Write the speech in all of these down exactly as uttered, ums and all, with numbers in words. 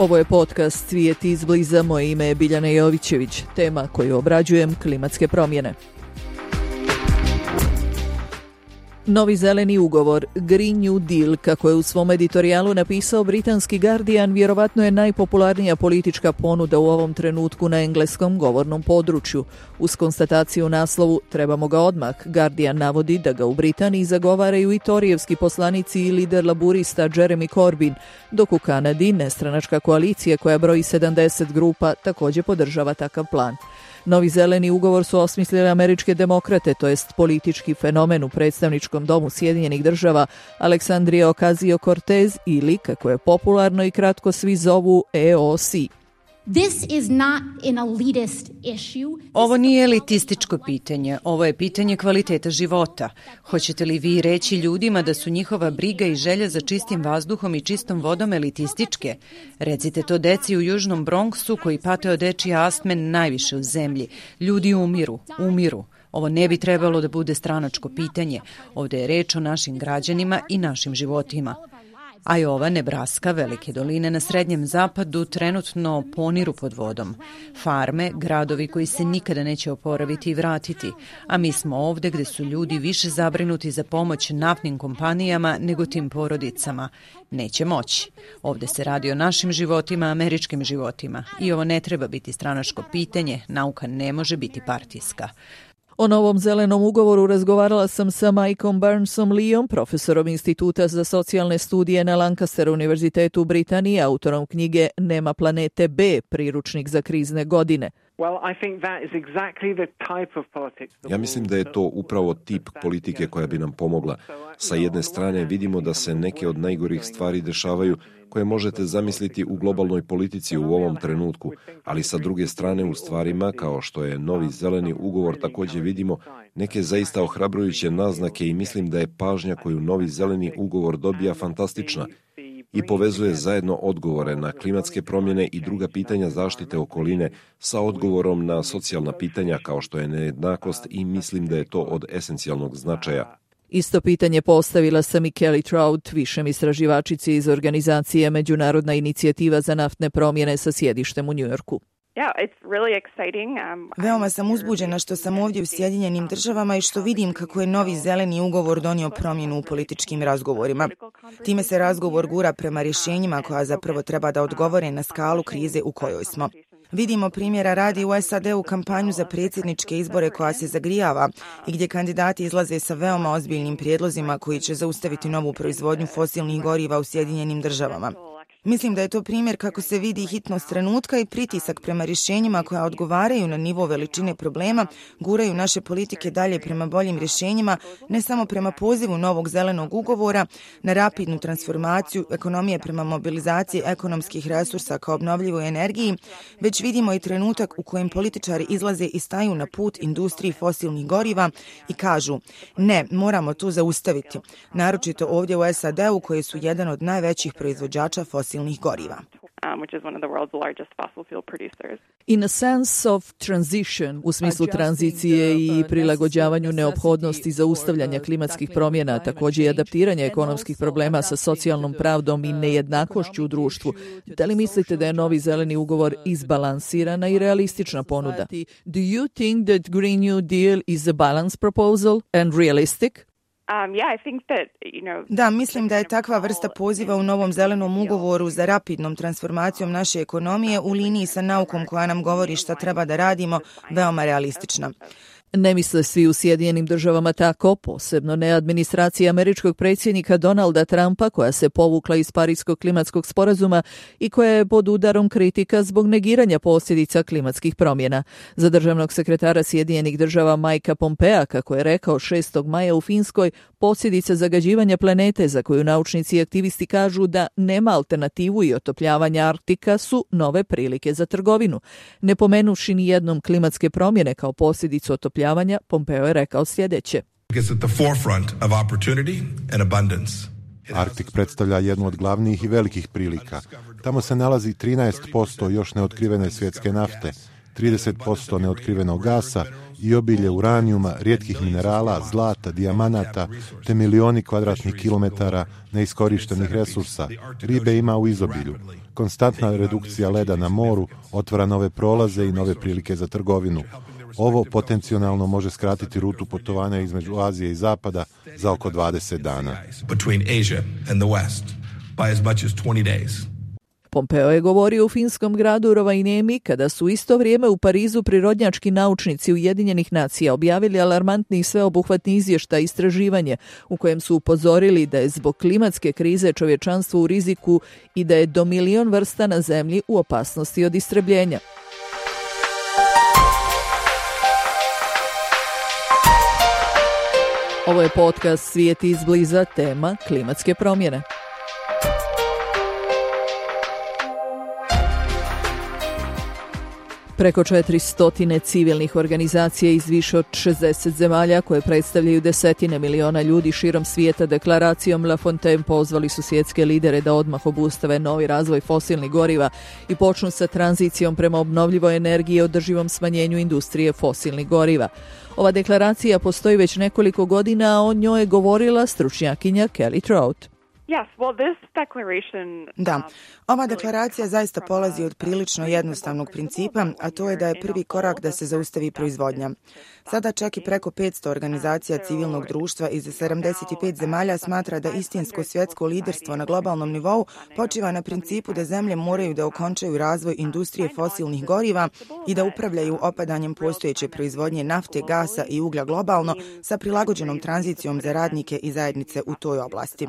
Ovo je podcast Svijet izbliza, moje ime je Biljana Jovićević. Tema koju obrađujem, klimatske promjene. Novi zeleni ugovor, Green New Deal, kako je u svom editorijalu napisao britanski Guardian, vjerovatno je najpopularnija politička ponuda u ovom trenutku na engleskom govornom području. Uz konstataciju u naslovu "Trebamo ga odmah", Guardian navodi da ga u Britaniji zagovaraju i torijevski poslanici i lider laburista Jeremy Corbyn, dok u Kanadi nestranačka koalicija koja broji sedamdeset grupa također podržava takav plan. Novi zeleni ugovor su osmislili američke demokrate, to jest politički fenomen u predstavničkom domu Sjedinjenih država Alexandria Ocasio-Cortez ili, kako je popularno i kratko svi zovu, E O C. This is not an elitist issue. Ovo nije elitističko pitanje, ovo je pitanje kvaliteta života. Hoćete li vi reći ljudima da su njihova briga i želja za čistim vazduhom i čistom vodom elitističke? Recite to deci u Južnom Bronxu koji pate od dečije astme najviše u zemlji. Ljudi umiru, umiru. Ovo ne bi trebalo da bude stranačko pitanje. Ovdje je reč o našim građanima i našim životima. Iowa, Nebraska, velike doline na srednjem zapadu trenutno poniru pod vodom. Farme, gradovi koji se nikada neće oporaviti i vratiti, a mi smo ovdje gdje su ljudi više zabrinuti za pomoć naftnim kompanijama nego tim porodicama. Neće moći. Ovdje se radi o našim životima, američkim životima. I ovo ne treba biti stranačko pitanje, nauka ne može biti partijska. O novom zelenom ugovoru razgovarala sam sa Mikeom Barnesom Leeom, profesorom Instituta za socijalne studije na Lancaster univerzitetu u Britaniji, autorom knjige Nema planete B, priručnik za krizne godine. Ja mislim da je to upravo tip politike koja bi nam pomogla. Sa jedne strane vidimo da se neke od najgorih stvari dešavaju koje možete zamisliti u globalnoj politici u ovom trenutku, ali sa druge strane u stvarima kao što je novi zeleni ugovor također vidimo neke zaista ohrabrujuće naznake i mislim da je pažnja koju novi zeleni ugovor dobija fantastična i povezuje zajedno odgovore na klimatske promjene i druga pitanja zaštite okoline sa odgovorom na socijalna pitanja kao što je nejednakost i mislim da je to od esencijalnog značaja. Isto pitanje postavila sam i Kelly Trout, višem istraživačici iz organizacije Međunarodna inicijativa za naftne promjene sa sjedištem u Njujorku. Veoma sam uzbuđena što sam ovdje u Sjedinjenim državama i što vidim kako je novi zeleni ugovor donio promjenu u političkim razgovorima. Time se razgovor gura prema rješenjima koja zapravo treba da odgovore na skalu krize u kojoj smo. Vidimo primjera radi u S A D-u kampanju za predsjedničke izbore koja se zagrijava i gdje kandidati izlaze sa veoma ozbiljnim prijedlozima koji će zaustaviti novu proizvodnju fosilnih goriva u Sjedinjenim državama. Mislim da je to primjer kako se vidi hitnost trenutka i pritisak prema rješenjima koja odgovaraju na nivo veličine problema, guraju naše politike dalje prema boljim rješenjima, ne samo prema pozivu novog zelenog ugovora na rapidnu transformaciju ekonomije prema mobilizaciji ekonomskih resursa kao obnovljivoj energiji, već vidimo i trenutak u kojem političari izlaze i staju na put industriji fosilnih goriva i kažu ne, moramo to zaustaviti, naročito ovdje u S A D-u koji su jedan od najvećih proizvođača fosilnih goriva. In a sense of transition, u smislu tranzicije i prilagođavanju neophodnosti zaustavljanja klimatskih promjena, također i adaptiranja ekonomskih problema sa socijalnom pravdom i nejednakošću u društvu. Da li mislite da je novi zeleni ugovor izbalansirana i realistična ponuda? Do you think that Green New Deal is a balanced proposal and realistic? Um, yeah, I think that, you know, da, mislim da je takva vrsta poziva u novom zelenom ugovoru za rapidnom transformacijom naše ekonomije u liniji sa naukom koja nam govori šta treba da radimo veoma realistična. Ne misle svi u Sjedinjenim državama tako, posebno ne administracija američkog predsjednika Donalda Trumpa koja se povukla iz Pariskog klimatskog sporazuma i koja je pod udarom kritika zbog negiranja posljedica klimatskih promjena. Za državnog sekretara Sjedinjenih država Mikea Pompea, kako je rekao šestog maja u Finskoj, posljedica zagađivanja planete za koju naučnici i aktivisti kažu da nema alternativu i otopljavanja Arktika su nove prilike za trgovinu. Ne pomenuvši ni jednom klimatske promjene kao posljedicu otopljavanja, Pompeo je rekao sljedeće. Arktik predstavlja jednu od glavnih i velikih prilika. Tamo se nalazi trinaest posto još neotkrivene svjetske nafte. trideset posto neotkrivenog gasa i obilje uranijuma, rijetkih minerala, zlata, dijamanata, te milioni kvadratnih kilometara neiskorištenih resursa. Ribe ima u izobilju. Konstantna redukcija leda na moru otvara nove prolaze i nove prilike za trgovinu. Ovo potencijalno može skratiti rutu putovanja između Azije i Zapada za oko dvadeset dana. Pompeo je govorio u finskom gradu Rovaniemi kada su u isto vrijeme u Parizu prirodnjački naučnici Ujedinjenih nacija objavili alarmantni i sveobuhvatni izvještaj istraživanje u kojem su upozorili da je zbog klimatske krize čovječanstvo u riziku i da je do milion vrsta na zemlji u opasnosti od istrebljenja. Ovo je podcast Svijet izbliza, tema klimatske promjene. Preko četiristo civilnih organizacija iz više od šezdeset zemalja koje predstavljaju desetine miliona ljudi širom svijeta deklaracijom La Fontaine pozvali su svjetske lidere da odmah obustave novi razvoj fosilnih goriva i počnu sa tranzicijom prema obnovljivoj energiji i održivom smanjenju industrije fosilnih goriva. Ova deklaracija postoji već nekoliko godina, a o njoj je govorila stručnjakinja Kelly Trout. Da, ova deklaracija zaista polazi od prilično jednostavnog principa, a to je da je prvi korak da se zaustavi proizvodnja. Sada čak i preko petsto organizacija civilnog društva iz sedamdeset pet zemalja smatra da istinsko svjetsko liderstvo na globalnom nivou počiva na principu da zemlje moraju da okončaju razvoj industrije fosilnih goriva i da upravljaju opadanjem postojeće proizvodnje nafte, gasa i uglja globalno sa prilagođenom tranzicijom za radnike i zajednice u toj oblasti.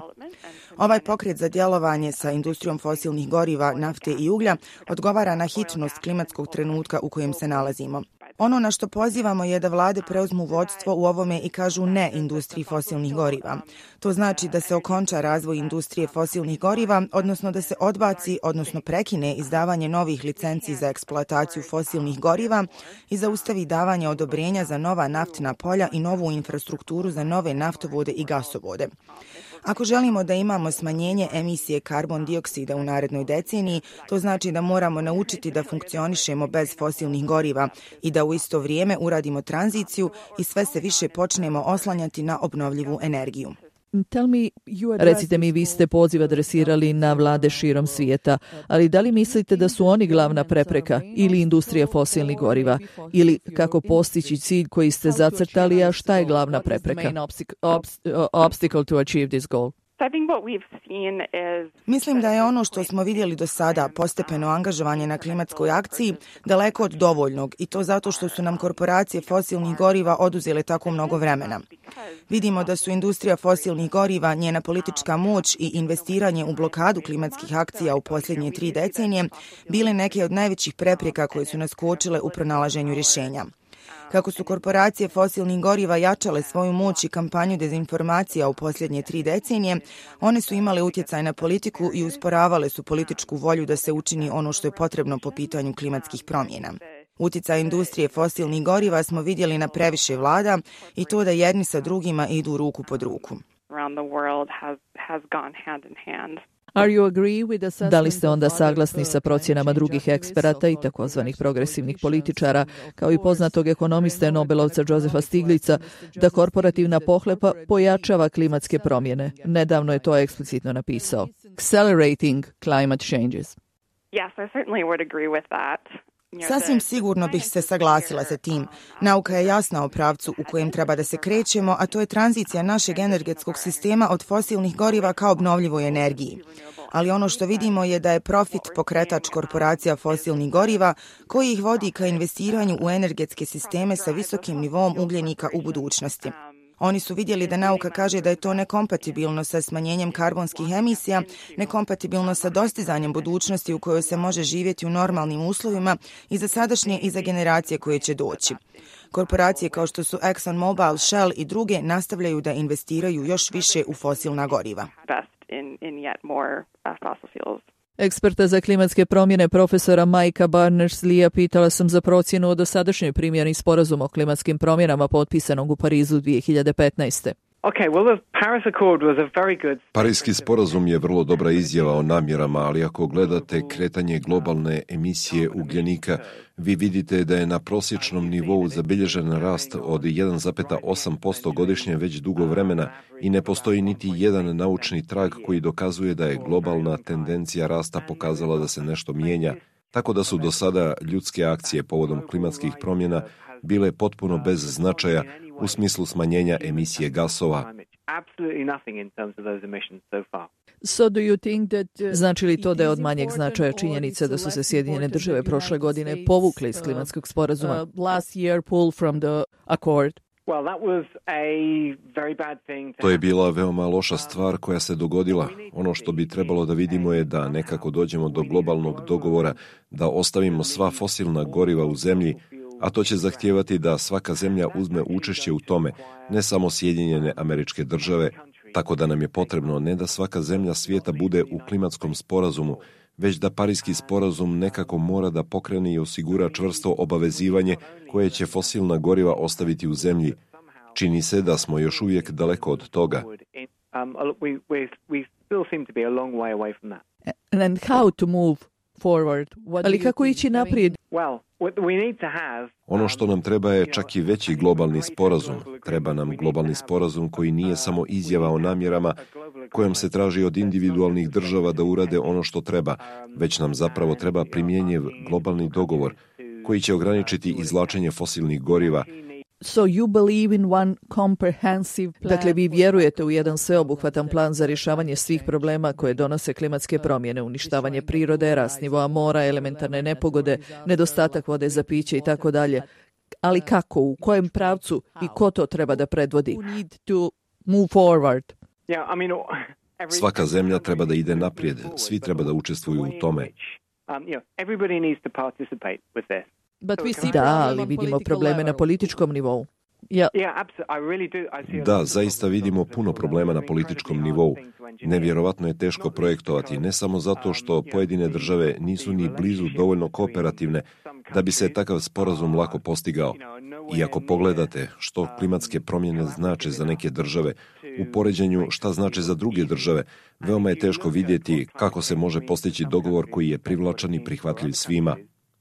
Ovaj pokret za djelovanje sa industrijom fosilnih goriva, nafte i uglja odgovara na hitnost klimatskog trenutka u kojem se nalazimo. Ono na što pozivamo je da vlade preuzmu vodstvo u ovome i kažu ne industriji fosilnih goriva. To znači da se okonča razvoj industrije fosilnih goriva, odnosno da se odbaci, odnosno prekine izdavanje novih licenci za eksploataciju fosilnih goriva i zaustavi davanje odobrenja za nova naftna polja i novu infrastrukturu za nove naftovode i gasovode. Ako želimo da imamo smanjenje emisije karbon dioksida u narednoj deceniji, to znači da moramo naučiti da funkcionišemo bez fosilnih goriva i da u isto vrijeme uradimo tranziciju i sve se više počnemo oslanjati na obnovljivu energiju. Recite mi, vi ste poziv adresirali na vlade širom svijeta, ali da li mislite da su oni glavna prepreka ili industrija fosilnih goriva? Ili kako postići cilj koji ste zacrtali, a šta je glavna prepreka? Obstacle to achieve this goal. Mislim da je ono što smo vidjeli do sada, postepeno angažovanje na klimatskoj akciji, daleko od dovoljnog i to zato što su nam korporacije fosilnih goriva oduzele tako mnogo vremena. Vidimo da su industrija fosilnih goriva, njena politička moć i investiranje u blokadu klimatskih akcija u posljednje tri decenije bile neke od najvećih prepreka koje su nas kočile u pronalaženju rješenja. Kako su korporacije fosilnih goriva jačale svoju moć i kampanju dezinformacija u posljednje tri decenije, one su imale utjecaj na politiku i usporavale su političku volju da se učini ono što je potrebno po pitanju klimatskih promjena. Utjecaj industrije fosilnih goriva smo vidjeli na previše vlada i to da jedni sa drugima idu ruku pod ruku. Da li ste onda saglasni sa procjenama drugih eksperata i takozvanih progresivnih političara, kao i poznatog ekonomiste Nobelovca Josefa Stiglica, da korporativna pohlepa pojačava klimatske promjene? Nedavno je to eksplicitno napisao. Accelerating climate changes. Yes, I certainly would agree with that. Sasvim sigurno bih se saglasila sa tim. Nauka je jasna o pravcu u kojem treba da se krećemo, a to je tranzicija našeg energetskog sistema od fosilnih goriva ka obnovljivoj energiji. Ali ono što vidimo je da je profit pokretač korporacija fosilnih goriva koji ih vodi ka investiranju u energetske sisteme sa visokim nivom ugljenika u budućnosti. Oni su vidjeli da nauka kaže da je to nekompatibilno sa smanjenjem karbonskih emisija, nekompatibilno sa dostizanjem budućnosti u kojoj se može živjeti u normalnim uslovima i za sadašnje i za generacije koje će doći. Korporacije kao što su ExxonMobil, Shell i druge nastavljaju da investiraju još više u fosilna goriva. Eksperta za klimatske promjene profesora Mikea Barners-Leea pitala sam za procjenu o dosadašnjoj primjeni sporazuma o klimatskim promjenama potpisanog u Parizu dvije hiljade petnaeste. Okay, well, the Paris Accord was a very good... Parijski sporazum je vrlo dobra izjava o namjerama, ali ako gledate kretanje globalne emisije ugljenika, vi vidite da je na prosječnom nivou zabilježen rast od jedan zarez osam posto godišnje već dugo vremena i ne postoji niti jedan naučni trag koji dokazuje da je globalna tendencija rasta pokazala da se nešto mijenja, tako da su do sada ljudske akcije povodom klimatskih promjena bile potpuno bez značaja u smislu smanjenja emisije gasova. Znači li to da je od manjeg značaja činjenica da su se Sjedinjene države prošle godine povukle iz klimatskog sporazuma? Last year pull from the accord. To je bila veoma loša stvar koja se dogodila. Ono što bi trebalo da vidimo je da nekako dođemo do globalnog dogovora, da ostavimo sva fosilna goriva u zemlji, a to će zahtijevati da svaka zemlja uzme učešće u tome, ne samo Sjedinjene Američke Države, tako da nam je potrebno ne da svaka zemlja svijeta bude u klimatskom sporazumu, već da Parijski sporazum nekako mora da pokrene i osigura čvrsto obavezivanje koje će fosilna goriva ostaviti u zemlji. Čini se da smo još uvijek daleko od toga. And how to move forward? Ali kako ići naprijed? Ono što nam treba je čak i veći globalni sporazum. Treba nam globalni sporazum koji nije samo izjava o namjerama kojom se traži od individualnih država da urade ono što treba, već nam zapravo treba primjenjiv globalni dogovor koji će ograničiti izvlačenje fosilnih goriva. So you believe in one comprehensive plan. Dakle, vi vjerujete u jedan sveobuhvatan plan za rješavanje svih problema koje donose klimatske promjene, uništavanje prirode, rast nivoa mora, elementarne nepogode, nedostatak vode za piće i tako dalje. Ali kako, u kojem pravcu i ko to treba da predvodi? We need to move forward. Svaka zemlja treba da ide naprijed, svi treba da učestvuju u tome. Da, ali vidimo probleme na političkom nivou. Ja. Da, zaista vidimo puno problema na političkom nivou. Nevjerovatno je teško projektovati, ne samo zato što pojedine države nisu ni blizu dovoljno kooperativne da bi se takav sporazum lako postigao. I ako pogledate što klimatske promjene znače za neke države, u poređenju šta znače za druge države, veoma je teško vidjeti kako se može postići dogovor koji je privlačan i prihvatljiv svima.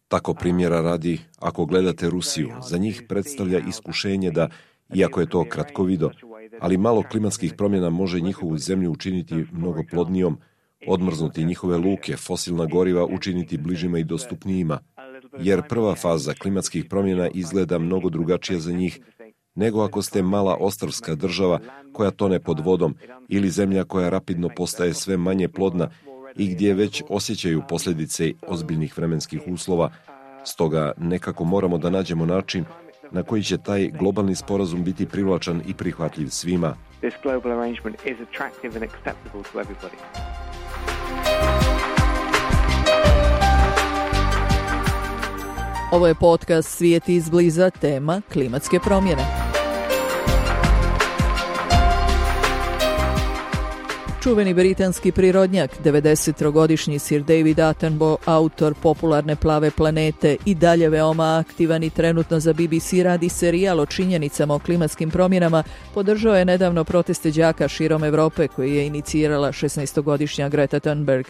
Tako primjera radi, ako gledate Rusiju, za njih predstavlja iskušenje da, iako je to kratkovido, ali malo klimatskih promjena može njihovu zemlju učiniti mnogo plodnijom, odmrznuti njihove luke, fosilna goriva učiniti bližima i dostupnijima, jer prva faza klimatskih promjena izgleda mnogo drugačija za njih nego ako ste mala ostrvska država koja tone pod vodom ili zemlja koja rapidno postaje sve manje plodna i gdje već osjećaju posljedice ozbiljnih vremenskih uslova. Stoga nekako moramo da nađemo način na koji će taj globalni sporazum biti privlačan i prihvatljiv svima. Ovo je podcast Svijet izbliza, tema klimatske promjene. Čuveni britanski prirodnjak, devedesettrogodišnji Sir David Attenborough, autor popularne Plave planete, i dalje veoma aktivan i trenutno za B B C radi serijal o činjenicama o klimatskim promjenama, podržao je nedavno proteste đaka širom Europe koje je inicirala šesnaestogodišnja Greta Thunberg.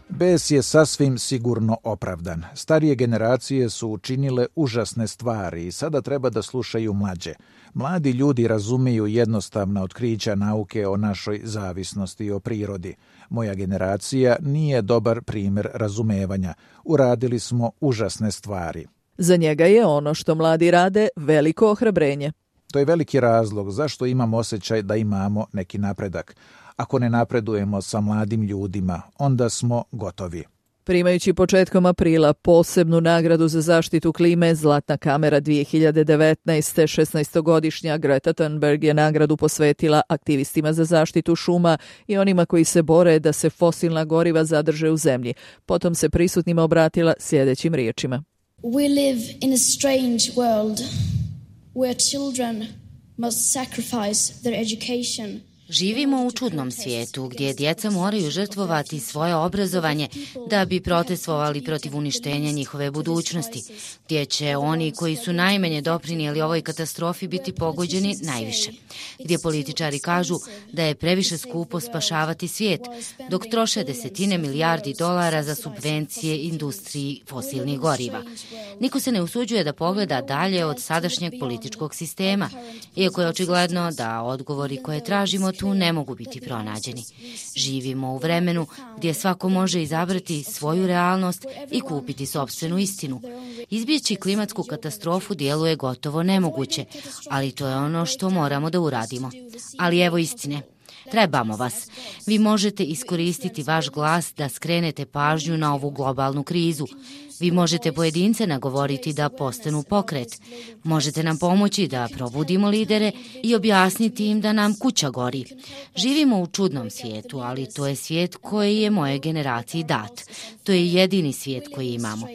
Bes je sasvim sigurno opravdan. Starije generacije su učinile užasne stvari i sada treba da slušaju mlađe. Mladi ljudi razumiju jednostavna otkrića nauke o našoj zavisnosti o prirodi. Moja generacija nije dobar primjer razumevanja. Uradili smo užasne stvari. Za njega je ono što mladi rade veliko ohrabrenje. To je veliki razlog zašto imam osjećaj da imamo neki napredak. Ako ne napredujemo sa mladim ljudima, onda smo gotovi. Primajući početkom aprila posebnu nagradu za zaštitu klime, Zlatna kamera dvije hiljade devetnaeste. šesnaestogodišnja Greta Thunberg je nagradu posvetila aktivistima za zaštitu šuma i onima koji se bore da se fosilna goriva zadrže u zemlji. Potom se prisutnima obratila sljedećim riječima. We live in a strange world where children must sacrifice their education Živimo u čudnom svijetu gdje djeca moraju žrtvovati svoje obrazovanje da bi protestovali protiv uništenja njihove budućnosti, gdje će oni koji su najmanje doprinijeli ovoj katastrofi biti pogođeni najviše, gdje političari kažu da je previše skupo spašavati svijet, dok troše desetine milijardi dolara za subvencije industriji fosilnih goriva. Niko se ne usuđuje da pogleda dalje od sadašnjeg političkog sistema, iako je očigledno da odgovori koje tražimo tu ne mogu biti pronađeni. Živimo u vremenu gdje svako može izabrati svoju realnost i kupiti sopstvenu istinu. Izbjeći klimatsku katastrofu djeluje gotovo nemoguće, ali to je ono što moramo da uradimo. Ali evo istine. Trebamo vas. Vi možete iskoristiti vaš glas da skrenete pažnju na ovu globalnu krizu. Vi možete pojedince nagovoriti da postanu pokret. Možete nam pomoći da probudimo lidere i objasniti im da nam kuća gori. Živimo u čudnom svijetu, ali to je svijet koji je moje generaciji dat. To je jedini svijet koji imamo.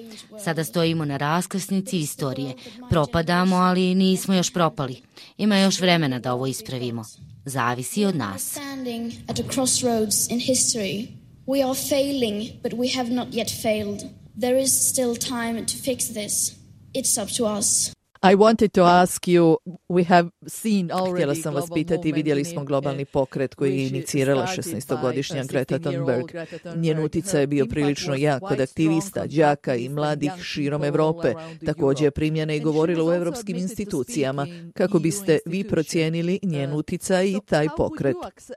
Sada stojimo na raskrsnici istorije. Propadamo, ali nismo još propali. Ima još vremena da ovo ispravimo. Zavisi od nas. We are failing, but we have not yet failed. There is still time to fix this. It's up to us. I wanted to ask you, we have seen already. Htjela sam vas pitati, vidjeli smo globalni pokret koji je inicirala šesnaestogodišnja Greta Thunberg. Njen utjecaj je bio prilično jak kod aktivista, đaka i mladih širom Europe. Također je primljena i govorila u europskim institucijama. Kako biste vi procijenili njen utjecaj i taj pokret?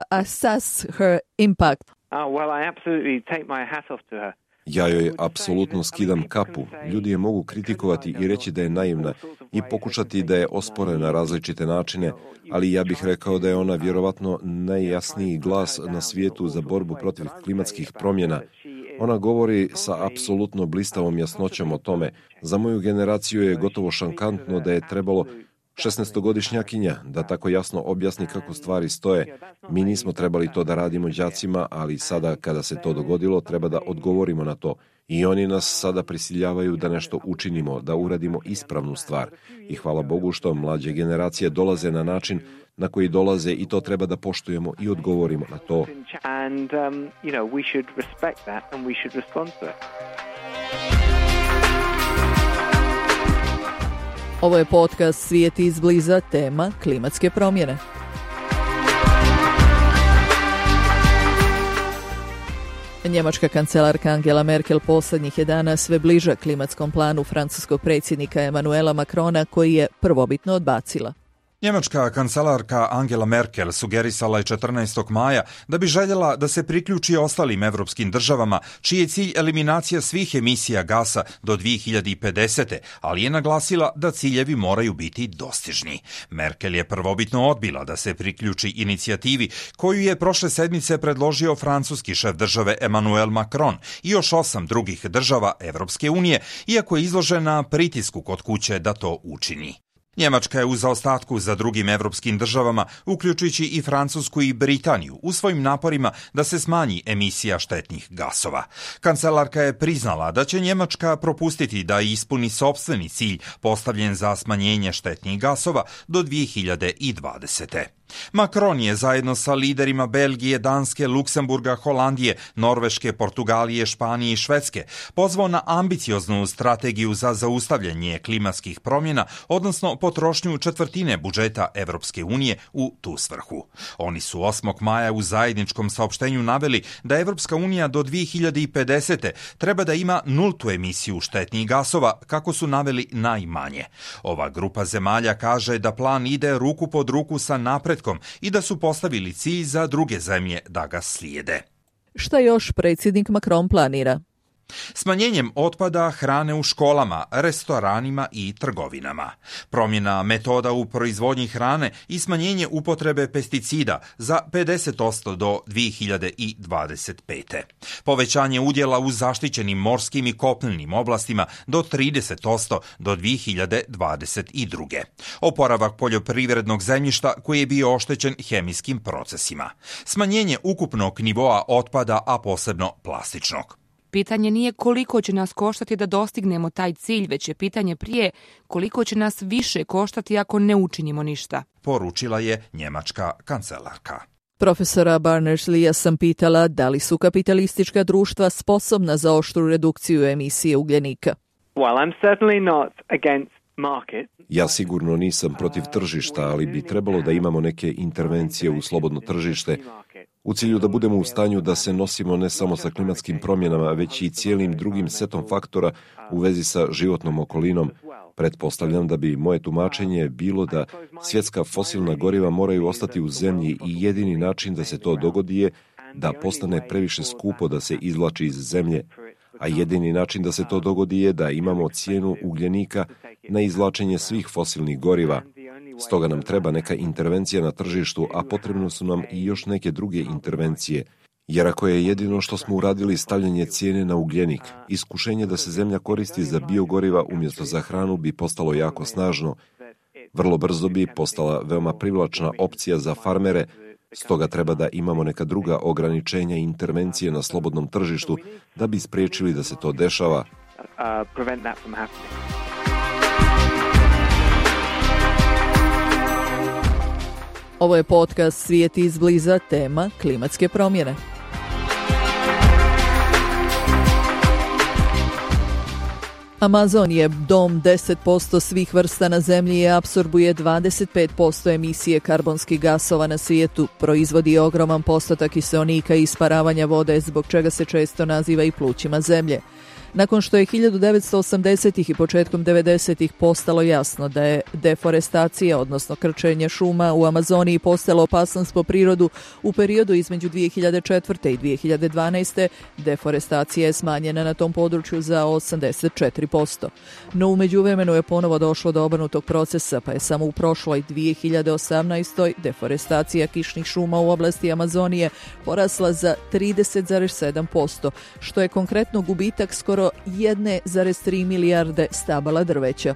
Assess her impact. Oh, well, I absolutely take my hat off to her. Ja joj apsolutno skidam kapu. Ljudi je mogu kritikovati i reći da je naivna i pokušati da je ospore na različite načine, ali ja bih rekao da je ona vjerovatno najjasniji glas na svijetu za borbu protiv klimatskih promjena. Ona govori sa apsolutno blistavom jasnoćom o tome. Za moju generaciju je gotovo šokantno da je trebalo šesnaestogodišnjakinja da tako jasno objasni kako stvari stoje. Mi nismo trebali to da radimo đacima, ali sada kada se to dogodilo treba da odgovorimo na to. I oni nas sada prisiljavaju da nešto učinimo, da uradimo ispravnu stvar. I hvala Bogu što mlađe generacije dolaze na način na koji dolaze i to treba da poštujemo i odgovorimo na to. And, um, you know, we should respect that and we should respond to it. Ovo je podcast Svijet izbliza, tema klimatske promjene. Njemačka kancelarka Angela Merkel posljednjih je dana sve bliža klimatskom planu francuskog predsjednika Emmanuela Macrona koji je prvobitno odbacila. Njemačka kancelarka Angela Merkel sugerisala je četrnaestog maja da bi željela da se priključi ostalim evropskim državama, čiji je cilj eliminacija svih emisija gasa do dvije hiljade pedesete. ali je naglasila da ciljevi moraju biti dostižni. Merkel je prvobitno odbila da se priključi inicijativi koju je prošle sedmice predložio francuski šef države Emmanuel Macron i još osam drugih država Evropske unije, iako je izložena pritisku kod kuće da to učini. Njemačka je u zaostatku za drugim evropskim državama, uključujući i Francusku i Britaniju, u svojim naporima da se smanji emisija štetnih gasova. Kancelarka je priznala da će Njemačka propustiti da ispuni sopstveni cilj postavljen za smanjenje štetnih gasova do dvije hiljade dvadesete. Macron je zajedno sa liderima Belgije, Danske, Luksemburga, Holandije, Norveške, Portugalije, Španije i Švedske pozvao na ambicioznu strategiju za zaustavljanje klimatskih promjena, odnosno potrošnju četvrtine budžeta Evropske unije u tu svrhu. Oni su osmog maja u zajedničkom saopštenju naveli da Evropska unija do dvije hiljade pedesete treba da ima nultu emisiju štetnih gasova, kako su naveli najmanje. Ova grupa zemalja kaže da plan ide ruku pod ruku sa napretkom i da su postavili cilj za druge zemlje da ga slijede. Šta još predsjednik Macron planira? Smanjenjem otpada hrane u školama, restoranima i trgovinama. Promjena metoda u proizvodnji hrane i smanjenje upotrebe pesticida za pedeset posto do dvije hiljade dvadeset pete. Povećanje udjela u zaštićenim morskim i kopnenim oblastima do trideset posto do dvije hiljade dvadeset druge. Oporavak poljoprivrednog zemljišta koji je bio oštećen hemijskim procesima. Smanjenje ukupnog nivoa otpada, a posebno plastičnog. Pitanje nije koliko će nas koštati da dostignemo taj cilj, već je pitanje prije koliko će nas više koštati ako ne učinimo ništa, poručila je njemačka kancelarka. Profesora Barners-Leea sam pitala da li su kapitalistička društva sposobna za oštru redukciju emisije ugljenika. Well, I'm certainly not against market. Ja sigurno nisam protiv tržišta, ali bi trebalo da imamo neke intervencije u slobodno tržište u cilju da budemo u stanju da se nosimo ne samo sa klimatskim promjenama, već i cijelim drugim setom faktora u vezi sa životnom okolinom. Pretpostavljam da bi moje tumačenje bilo da svjetska fosilna goriva moraju ostati u zemlji i jedini način da se to dogodi je da postane previše skupo da se izvlači iz zemlje, a jedini način da se to dogodi je da imamo cijenu ugljenika na izvlačenje svih fosilnih goriva. Stoga nam treba neka intervencija na tržištu, a potrebno su nam i još neke druge intervencije. Jer ako je jedino što smo uradili stavljanje cijene na ugljenik, iskušenje da se zemlja koristi za biogoriva umjesto za hranu bi postalo jako snažno. Vrlo brzo bi postala veoma privlačna opcija za farmere, stoga treba da imamo neka druga ograničenja i intervencije na slobodnom tržištu da bi spriječili da se to dešava. Ovo je podcast Svijet izbliza, tema klimatske promjene. Amazon je dom deset posto svih vrsta na zemlji i apsorbuje dvadeset pet posto emisije karbonskih gasova na svijetu, proizvodi ogroman postotak kiseonika i isparavanja vode, zbog čega se često naziva i plućima zemlje. Nakon što je hiljadu devetsto osamdesetih i početkom devedesetih postalo jasno da je deforestacija, odnosno krčenje šuma u Amazoniji postalo opasnost po prirodu, u periodu između dvije hiljade četvrte i dvije hiljade dvanaeste. deforestacija je smanjena na tom području za osamdeset četiri posto. No u međuvremenu je ponovo došlo do obrnutog procesa, pa je samo u prošloj dvije hiljade osamnaestoj. deforestacija kišnih šuma u oblasti Amazonije porasla za trideset zarez sedam posto, što je konkretno gubitak skoro jedan zarez tri milijarde stabala drveća.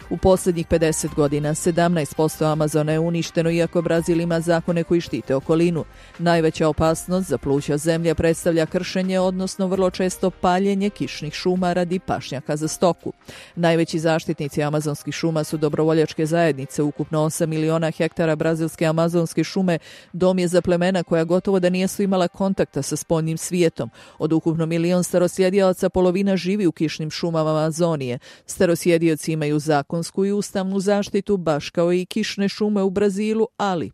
U posljednjih pedeset godina sedamnaest posto Amazona je uništeno, iako Brazil ima zakone koji štite okolinu. Najveća opasnost za pluća zemlje predstavlja kršenje, odnosno vrlo često paljenje kišnih šuma radi pašnjaka za stoku. Najveći zaštitnici amazonskih šuma su dobrovoljačke zajednice. Ukupno osam miliona hektara brazilske amazonske šume dom je za plemena koja gotovo da nijesu imala kontakta sa spoljnim svijetom. Od ukupno milion starosjedioca polovina živi u kišnim šumama Amazonije. Starosjedioci imaju zakon i ustavnu zaštitu, baš kao i kišne šume u Brazilu, ali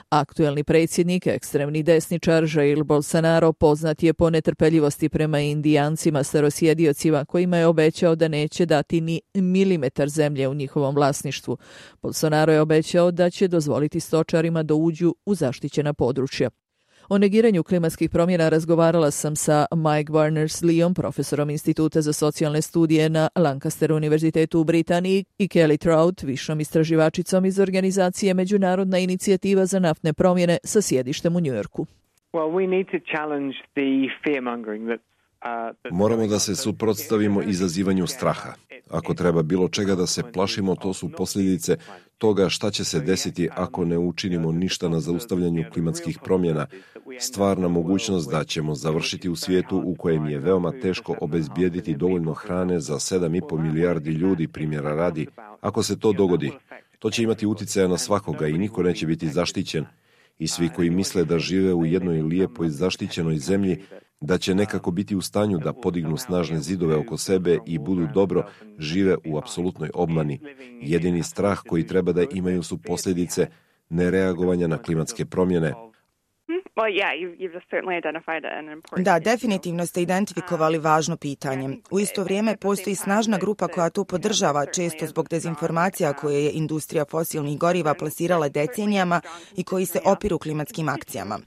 aktuelni predsjednik, ekstremni desničar Jair Bolsonaro, poznat je po netrpeljivosti prema indijancima starosjediocima, kojima je obećao da neće dati ni milimetar zemlje u njihovom vlasništvu. Bolsonaro je obećao da će dozvoliti stočarima da uđu u zaštićena područja. O negiranju klimatskih promjena razgovarala sam sa Mike Barners-Leeom, profesorom Instituta za socijalne studije na Lancaster univerzitetu u Britaniji, i Kelly Trout, višom istraživačicom iz organizacije Međunarodna inicijativa za naftne promjene sa sjedištem u Njujorku. Well, we need to challenge the fear-mongering that Moramo da se suprotstavimo izazivanju straha. Ako treba bilo čega da se plašimo, to su posljedice toga šta će se desiti ako ne učinimo ništa na zaustavljanju klimatskih promjena. Stvarna mogućnost da ćemo završiti u svijetu u kojem je veoma teško obezbijediti dovoljno hrane za sedam i po milijardi ljudi, primjera radi. Ako se to dogodi, to će imati utjecaja na svakoga i niko neće biti zaštićen. I svi koji misle da žive u jednoj lijepoj zaštićenoj zemlji, da će nekako biti u stanju da podignu snažne zidove oko sebe i budu dobro, žive u apsolutnoj obmani. Jedini strah koji treba da imaju su posljedice nereagovanja na klimatske promjene. Da, definitivno ste identifikovali važno pitanje. U isto vrijeme postoji snažna grupa koja to podržava, često zbog dezinformacija koje je industrija fosilnih goriva plasirala decenijama i koji se opiru klimatskim akcijama.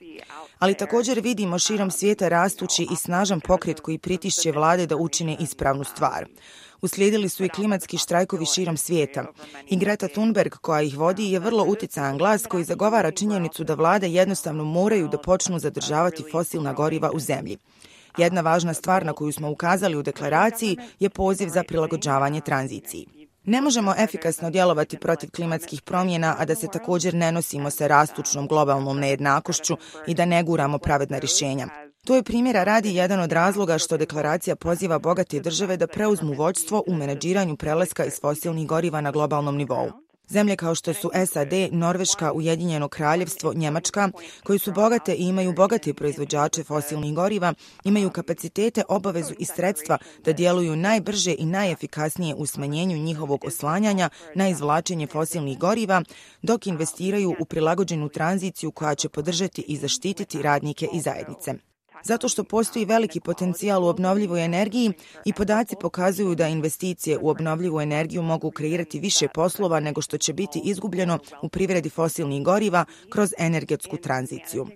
Ali također vidimo širom svijeta rastući i snažan pokret koji pritišće vlade da učine ispravnu stvar. Uslijedili su i klimatski štrajkovi širom svijeta. I Greta Thunberg, koja ih vodi, je vrlo utjecajan glas koji zagovara činjenicu da vlade jednostavno moraju da počnu zadržavati fosilna goriva u zemlji. Jedna važna stvar na koju smo ukazali u deklaraciji je poziv za prilagođavanje tranziciji. Ne možemo efikasno djelovati protiv klimatskih promjena, a da se također ne nosimo sa rastućnom globalnom nejednakošću i da ne guramo pravedna rješenja. To je primjera radi jedan od razloga što deklaracija poziva bogate države da preuzmu vođstvo u menadžiranju prelaska iz fosilnih goriva na globalnom nivou. Zemlje kao što su S A D, Norveška, Ujedinjeno kraljevstvo, Njemačka, koji su bogate i imaju bogate proizvođače fosilnih goriva, imaju kapacitete, obavezu i sredstva da djeluju najbrže i najefikasnije u smanjenju njihovog oslanjanja na izvlačenje fosilnih goriva, dok investiraju u prilagođenu tranziciju koja će podržati i zaštititi radnike i zajednice. Zato što postoji veliki potencijal u obnovljivoj energiji i podaci pokazuju da investicije u obnovljivu energiju mogu kreirati više poslova nego što će biti izgubljeno u privredi fosilnih goriva kroz energetsku tranziciju.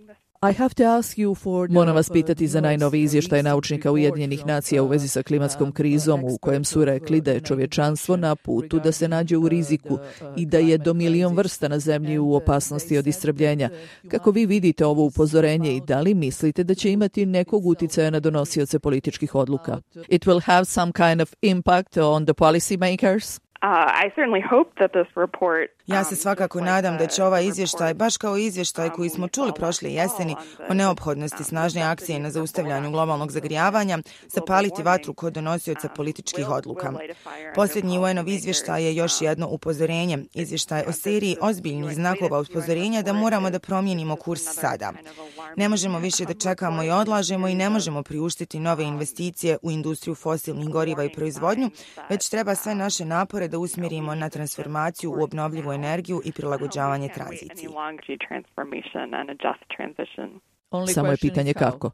Moram vas pitati za najnoviji izvještaj naučnika Ujedinjenih nacija u vezi sa klimatskom krizom u kojem su rekli da je čovječanstvo na putu da se nađe u riziku i da je do milion vrsta na zemlji u opasnosti od istrebljenja. Kako vi vidite ovo upozorenje i da li mislite da će imati nekog uticaja na donosioce političkih odluka? It will have some kind of impact on the policy makers? Uh, I certainly hope that this report Ja se svakako nadam da će ovaj izvještaj, baš kao izvještaj koji smo čuli prošle jeseni o neophodnosti snažne akcije na zaustavljanju globalnog zagrijavanja, zapaliti vatru kod donosioca političkih odluka. Posljednji U N-ov izvještaj je još jedno upozorenje, izvještaj o seriji ozbiljnih znakova upozorenja da moramo da promijenimo kurs sada. Ne možemo više da čekamo i odlažemo i ne možemo priuštiti nove investicije u industriju fosilnih goriva i proizvodnju, već treba sve naše napore da usmjerimo na transformaciju u obnovljivu energiju i prilagođavanje tranziciji. Samo je pitanje kako.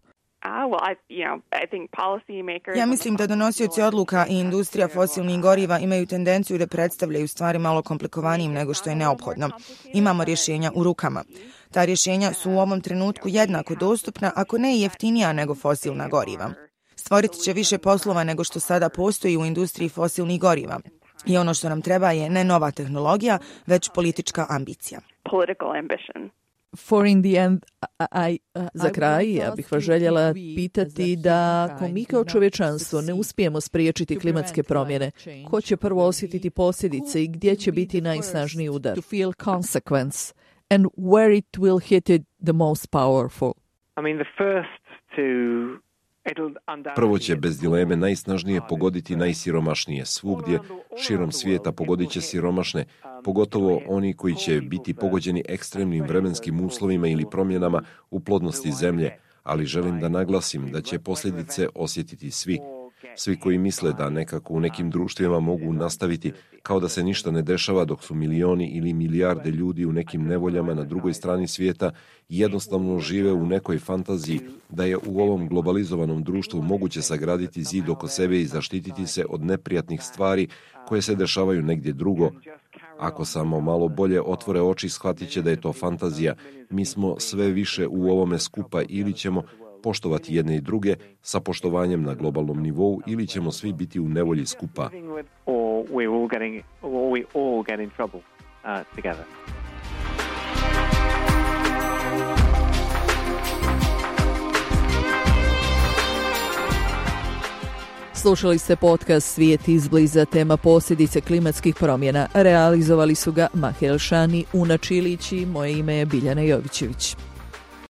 Ja mislim da donosioci odluka i industrija fosilnih goriva imaju tendenciju da predstavljaju stvari malo komplikovanijim nego što je neophodno. Imamo rješenja u rukama. Ta rješenja su u ovom trenutku jednako dostupna, ako ne i jeftinija nego fosilna goriva. Stvoriti će više poslova nego što sada postoji u industriji fosilnih goriva. I ono što nam treba je ne nova tehnologija, već politička ambicija. For in the end, I, uh, za kraj, ja bih vas željela pitati da ako mi kao čovječanstvo ne uspijemo spriječiti klimatske promjene, ko će prvo osjetiti posljedice i gdje će biti najsnažniji udar? To feel consequence and where it will hit it the most powerful. I mean, the first to Prvo će bez dileme najsnažnije pogoditi najsiromašnije. Svugdje širom svijeta pogodit će siromašne, pogotovo oni koji će biti pogođeni ekstremnim vremenskim uslovima ili promjenama u plodnosti zemlje, ali želim da naglasim da će posljedice osjetiti svi. Svi koji misle da nekako u nekim društvima mogu nastaviti kao da se ništa ne dešava dok su milioni ili milijarde ljudi u nekim nevoljama na drugoj strani svijeta jednostavno žive u nekoj fantaziji da je u ovom globalizovanom društvu moguće sagraditi zid oko sebe i zaštititi se od neprijatnih stvari koje se dešavaju negdje drugo. Ako samo malo bolje otvore oči, shvatit će da je to fantazija. Mi smo sve više u ovome skupa ili ćemo poštovati jedne i druge sa poštovanjem na globalnom nivou ili ćemo svi biti u nevolji skupa. Slušali ste podcast Svijet izbliza, tema posljedice klimatskih promjena. Realizovali su ga Mahel Šani, Una Čilić i moje ime je Biljana Jovićević.